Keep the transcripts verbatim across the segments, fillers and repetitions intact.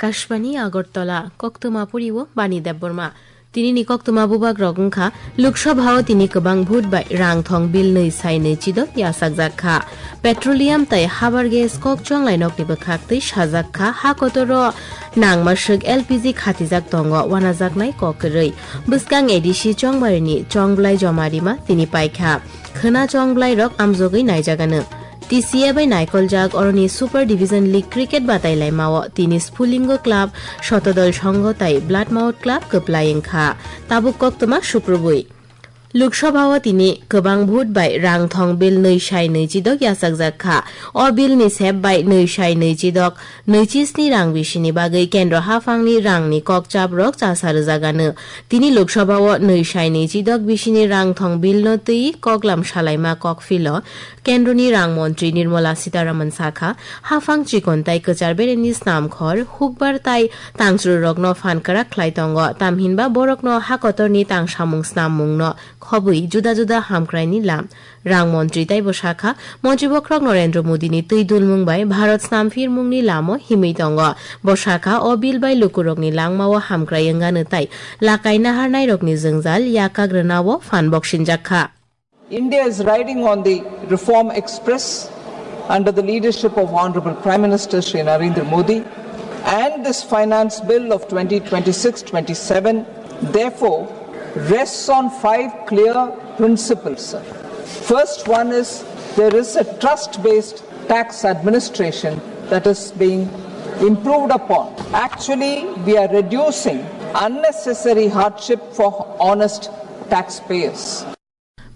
Akashbani Agartala, koktwma poriwo Bani Debbarma. Tinini koktwma bubagrok wngkha, Lok Sabha o tini kwbang vote bai rang thong bill nwi sai nwi chidok yachakjak kha. Petroleum tei habar gas kok chonglai nokni bwkhak twi sajak kha, ha kotoro nangma swk L P G khatijak tongo, wanajaknai kok kwrwi. Bwskang A D C chongbarini chongblai joma rima tini paikha. Khwna chongblairok amjogwi naijagano. T C A bai naikoljak oroni Super Division League cricket batailaimao tini Sphulingo Club, Shotodol Songho tai Bloodmouth Club kwplai wngkha. Tabuk koktwma suprubui. Lok Sabha o tini kwbang vote bai rang thong bill nwi sai nwi chidok yachakjak kha. O bill ni sep bai nwi sai nwi chidok nwi chi sni rang bisini bagwi kendro haphangni rangni kokchaprok chasa rwjagano. Tini Lok Sabha o nwi sai nwi chidok bisini rang thong bill no twi koklam salaima kokphilo kendroni rang montri Nirmala Sitharaman sakha, haphang chikon tai kwchar bereni snamkhor hukbar tai tangchrurokno phan kwrak khlai tongo, tamhinba borokno hakotorni tangsamung snammungno khobwi juda juda hamkraini lam. Rang montri taibo sakha, montri bokhorok Narendra Modini twi dulmung bai Bharat snamphirmungni lamo himwi tongo. Bo sakha, o bill bai lukurokni langmao hamkrai wngano tai lakai naharnairokni jwngjal yakak rwnao phan boksinjak kha. India is riding on the reform express under the leadership of Honorable Prime Minister Shri Narendra Modi, and this Finance Bill of twenty twenty-six twenty-seven, therefore, rests on five clear principles, sir. First one is there is a trust-based tax administration that is being improved upon. Actually, we are reducing unnecessary hardship for honest taxpayers.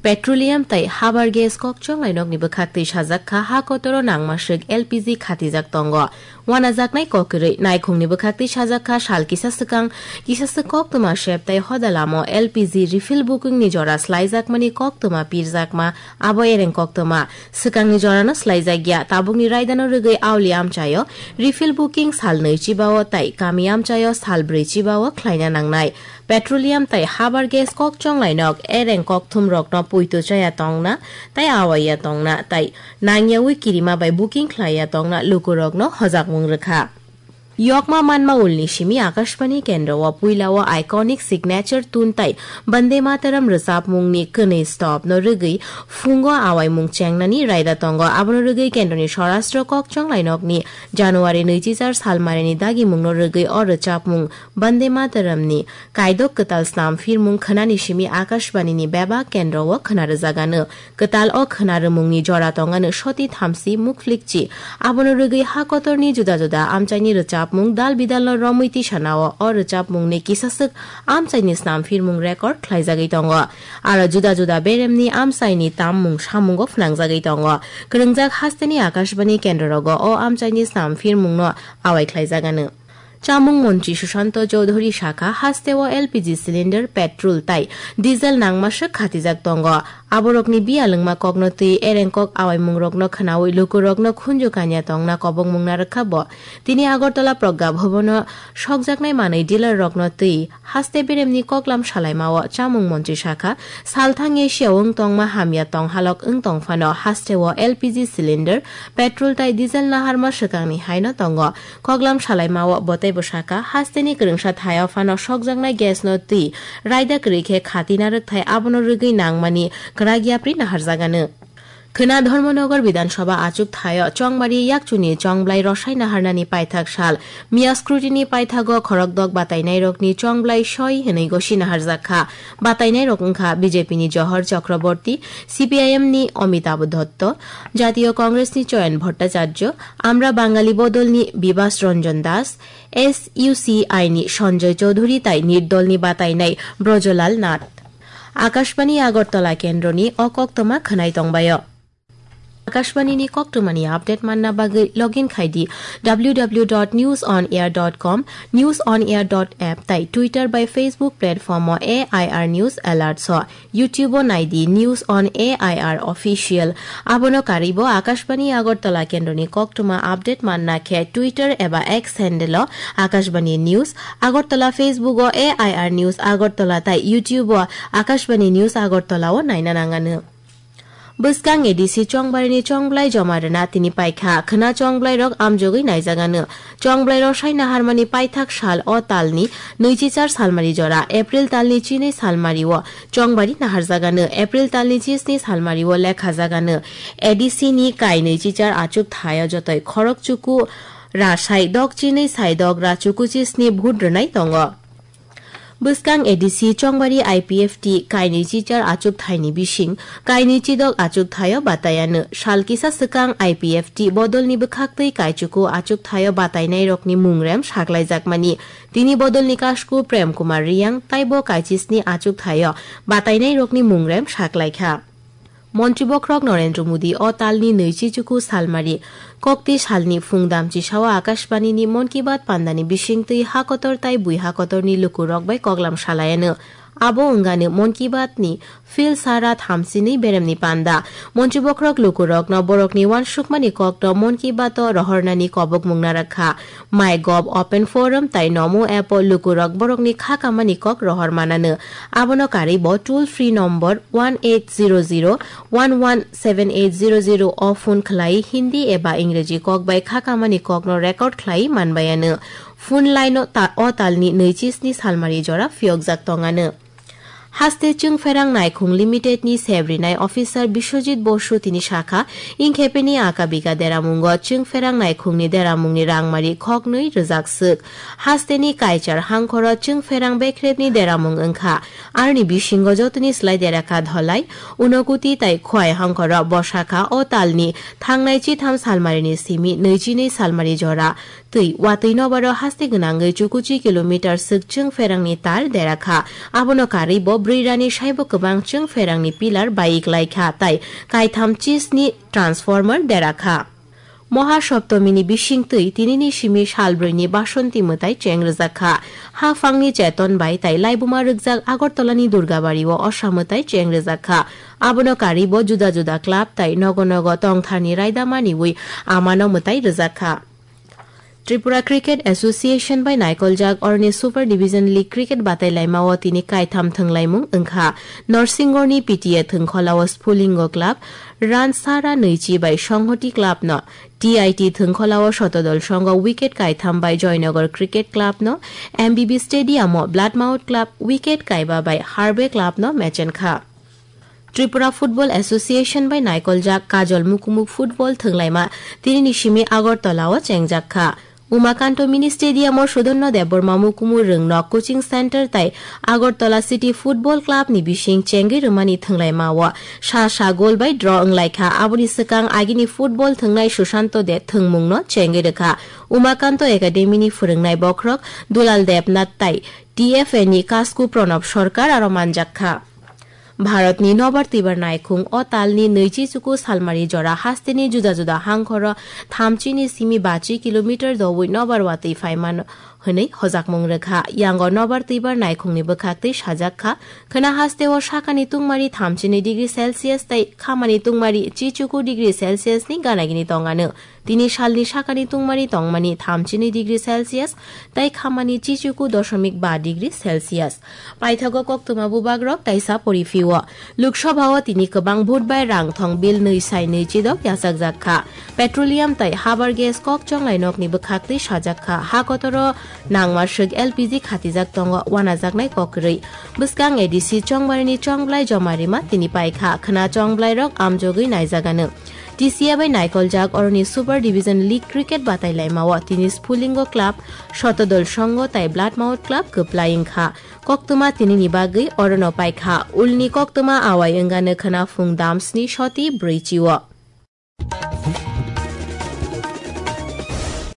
Petroleum tai habar gas kok chonglai nokni bwkhak twi sajak kha, ha kotoro nangma swk L P G khatijak tongo. Wanajaknai kok kwrwi naikhungni bwkhak twi sajak kha, sal kisa swkang kisa swk koktwma sep tai hoda lamo L P G refill booking ni jora slaijakmani koktwma pirjakma, abo ereng koktwma. Swkangni jorano slaijakya, tabukni raidano rwgwi auli amchaio refill booking sal nwi chibao tai kami amchaio sal brwi chibao khlaina nangnai. Petroleum tai habar gas kok chonglai nok ereng kokthum rokno puito chaya tongna tai awaiya tongna tai nangyawi kirima bai booking khlaiya tongna lukurokno hojakmung rwkha. Yokma manma ulni simi Akashbani kendro o puila o iconic signature tune tai Bande Mataram rwchapmungni kwnwi stop no rwgwi phungo awaimung chengnani raida tongo. Abono rwgwi kendroni Swarashtra kok chonglai nokni January nwichi char salmarini dagimungno rwgwi o rwchapmung Bande Mataramni kaidok kwtal snam phirmung khwnani simi Akashbanini bebak kendro o khwna rwjagano. Kwtal o khwna rwmungni jora tongano soti thamsi mukhlikchi. Abono rwgwi ha kotorni juda juda amchaini rwchapmung dal bidalno romwi tisanao o rwchapmungni kisaswk amchaini snam phirmung record khlaijagwi tongo. Aro juda juda beremni amchaini tammung samungo phnangjagwi tongo. Kwrwngjak hasteni Akashbani kendrorogo o amchaini snam phirmungno awai khlaijagano. Chamung montri Sushanto Chowdhury sakha, hasteo L P G cylinder, petrol tai diesel nangma swk khatijak tongo. Aborokni biyalwngma kokno twi ereng kok awaimungrokno khwnawi lukurokno khunju kanya tongna kobongmung narwkha bo. Tini Agartala Pragya Bhavan-o sokjaknai manwi dealer rokno twi haste beremni koklam salaimao chamung montri sakha, salthang Asia wng tongma hamya tonghalok wng tongphano hasteo L P G cylinder, petrol tai diesel naharma swkangni haino tongo. Koklam salaimao botei bwsaka hasteni kwrwngsa thaio phano sokjaknai gas no twi raida kwrwi khe khati narwkthai abono rwgwi nangmani kwrak yapri naharjagano. Khwna Dharmanagar Bidhan Sabha achuk thaio chongmari yakchuni chongblai rosai naharnani paithak sal. Miya scrutiny paithago khorokdok batainairokni chongblai soi hwnwi gosi naharjak kha. Batainairok wngkha B J P ni Johor Chakraborty, C P I M ni Amitabh Dotto, Jatiyo Congress ni Choyan Bhattacharya, Amra Bangali Bodol ni Bibas Ranjan Das, S U C I ni Sanjay Chaudhary tai nirdol ni batainai Brajolal Nath. Akashbani Agartala kendroni o koktwma khwnai tongbaio. Akashbani ni koktwmani update manna bagwi login khai di W W W dot news on air dot com, news on air dot app tai Twitter bai Facebook platform o A I R News Alerts o. YouTube o nai di News on A I R Official. Abono karwibo Akashbani Agartala kendroni koktwma update manna khe Twitter eba X handle o Akashbani News Agartala, Facebook o A I R News Agartala tai YouTube o Akashbani News Agartala o naina nangano. Bwskang A D C Chongbarini chongblai joma rwna tini paikha. Khwna chongblai rok amjogwi naijagano. Chongblai rok sai naharmani paithak sal o talni nwichichar salmari jora, April talni chinwi salmari o Chongbari naharjagano, April talni chisni salmari o lekhajagano. A D C ni kai nwichichar achuk thaio jotoi khorok chuku rasai dok chinwi sai dok ra chuku chisni vote rwnai tongo. Bwskang A D C Chongbari I P F T kainwi chichar achuk thaini bising, kainwi chidok achuk thaio bataiano. Sal kisa swkang I P F T bodolni bwkhaktwi kaichuku achuk thaio batainairokni mungrem saklaijakmani. Tini bodolni kasku Prem Kumar Riyang taibo kaichisni achuk thaio batainairokni mungrem saklaikha. Montri bokhorok Narendra Modi o talni nwichi chuku salmari kokti salni phung damchisao Akashbanini Mon Ki Baat pandani bisingtwi hakotor tai bui hakotorni lukurok bai koklam salaiano. Abo wngani Mon Ki Baatni phil sara thamchinwi beremni panda. Montri bokhorok lukurokno borokni uansukmani kokno Mon Ki Baat-o rohornani kobokmung narakha. MyGov Open Forum tai Namo app-o lukurok borokni kha kamani kok rohor manano. Abono karwi bo toll free number one eight zero zero one one seven eight zero zero o phone khlai Hindi eba Ingreji kok bai kha kamani kokno record khlai manbayano. Phone line-o ta-, o talni nwichi sni salmari jora phiyokjak tongano. Haste Chwngpherang Naikhung Limited ni sebrinai officer Biswajit Bosu tini sakha, ingkhepeni aka biga deramungo Chwngpherang Naikhungni deramungni rangmari khoknwi rwjak swk. Hasteni kaichar hangkhoro Chwngpherang Bekhrebni deramung wngkha. Aroni bisingo jotoni slai derakha Dholai, Unokuti tai Khwai hangkhoro bosakha o talni thangnai chitham salmarini simi nwichi nwi salmari jora. Twi watwi nobaro haste gwnangwi chukuchi kilometer swk Chwngpherangni tar derakha. Abono karwi bo bwrwi rani saibo kwbang Chwngpherangni pillar baik laikha tai kaitham chisni transformer derakha. Moha Saptomini bisingtwi tinini simi salbrwini Basonti mwtai cheng rwjakha. Haphangni cheton bai tai laibuma rwkjak Agartalani Durgabari o osa mwtai cheng rwjakha. Abono karwi bo juda juda club tai nogo nogo tongtharni raida maniwi amano mwtai rwjakha. Tripura Cricket Association bai naikoljak oroni Super Division League cricket batailaimao tini kaitham thwnglaimung wngkha. Norsingorni P T A thwngkholao Sphulingo Club, Ransara Nwichi bai Songhoti Club no, T I T thwngkholao Sotodol Songho wicket kaitham bai Joynagar Cricket Club no, M B B Stadium o Bloodmouth Club wicket kaiba bai Harbe Club no mechenkha. Tripura Football Association bai naikoljak Kajol Mukumuk Football thwnglaima tinini simi Agartala o chengjak kha. Umakanto Mini Stadium o Sudhanno Debbarma Mukumu Rwngno Coaching Center tai Agartala City Football Club ni bising chengwi rwmani thwnglaima o sa sa goal bai draw wnglaikha. Aboni swkang agini football thwngnai Sushanto De thwngmungno chengwi rwkha. Umakanto Academy ni phwrwngnai bokhorok Dulal Debnath tai T F A ni Kasku Pranab Sarkar aro manjak kha. Bharatni nobar twibar naikhung o talni nwichi chuku salmari jora hasteni juda juda hangkhoro thamchini simi bachi kilometer dowi nobar watwi phaimano hwnwi hojakmung rwkha. Yango nobar twibar naikhungni bwkhaktwi sajak kha, khwna hasteo sakani tungmari thamchini degree Celsius tai khamani tungmari chichuku degree Celsius ni ganagini tongano. Tini salni sakani tungmani tongmani thamchinwi degree Celsius tai khamani chichuku dosomik ba degree Celsius. Paithago koktwma bubagrok kaisa poriphio. Lok Sabha o tini kwbang vote bai rang thong bill nwi sai nwi chidok yachakjak kha. Petroleum tai habar gas kok chonglai nokni bwkhaktwi sajak kha. Ha kotoro nangma swk L P G khatijak tongo wanajaknai kok kwrwi. Bwskang A D C chongbarini chongblai joma rima tini paikha. Khwna chongblai rok amjogwi naijagano. T C A bai naikoljak oroni Super Division League cricket batailaimao tini Sphulingo Club, Sotodol Songho tai Bloodmouth Club kwplai wngkha. Koktwma tinini bagwi orono paikha. Ulni koktwma awai wngano khwna phung dam sni soti brwi chio.